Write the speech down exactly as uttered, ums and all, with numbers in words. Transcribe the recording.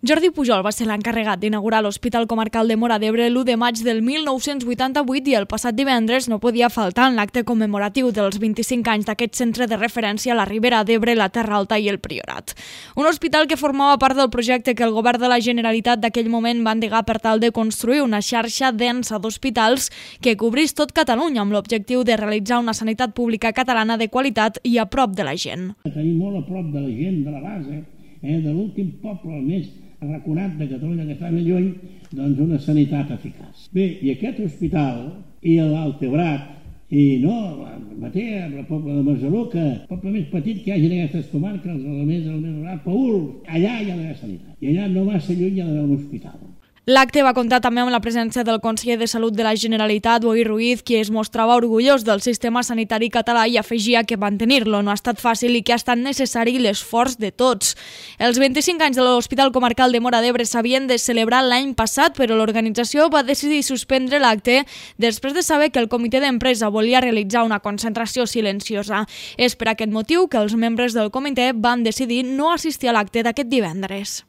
Jordi Pujol va ser l'encarregat d'inaugurar l'Hospital Comarcal de Móra d'Ebre l'u de maig del mil nou-cents vuitanta-vuit i el passat divendres no podia faltar en l'acte commemoratiu dels vint-i-cinc anys d'aquest centre de referència a la Ribera d'Ebre, la Terra Alta i el Priorat. Un hospital que formava part del projecte que el govern de la Generalitat d'aquell moment va endegar per tal de construir una xarxa densa d'hospitals que cobrís tot Catalunya amb l'objectiu de realitzar una sanitat pública catalana de qualitat i a prop de la gent. Tenim molt a prop de la gent, de la base, eh, de l'últim poble, el més arraconat de Catalunya que està més lluny, doncs una sanitat eficaç. Bé, i aquest hospital i l'Altebrat i no, el Matea, el poble de Masaluca, el poble més petit que hi hagi en aquestes comarques, el més, el més rural, Paül, allà hi ha d'haver sanitat. I allà no massa lluny hi ha d'haver un hospital. L'acte va comptar també amb la presència del conseller de Salut de la Generalitat, Boi Ruiz, qui es mostrava orgullós del sistema sanitari català i afegia que mantenir-lo no ha estat fàcil i que ha estat necessari l'esforç de tots. Els vint-i-cinc anys de l'Hospital Comarcal de Móra d'Ebre s'havien de celebrar l'any passat, però l'organització va decidir suspendre l'acte després de saber que el comitè d'empresa volia realitzar una concentració silenciosa. És per aquest motiu que els membres del comitè van decidir no assistir a l'acte d'aquest divendres.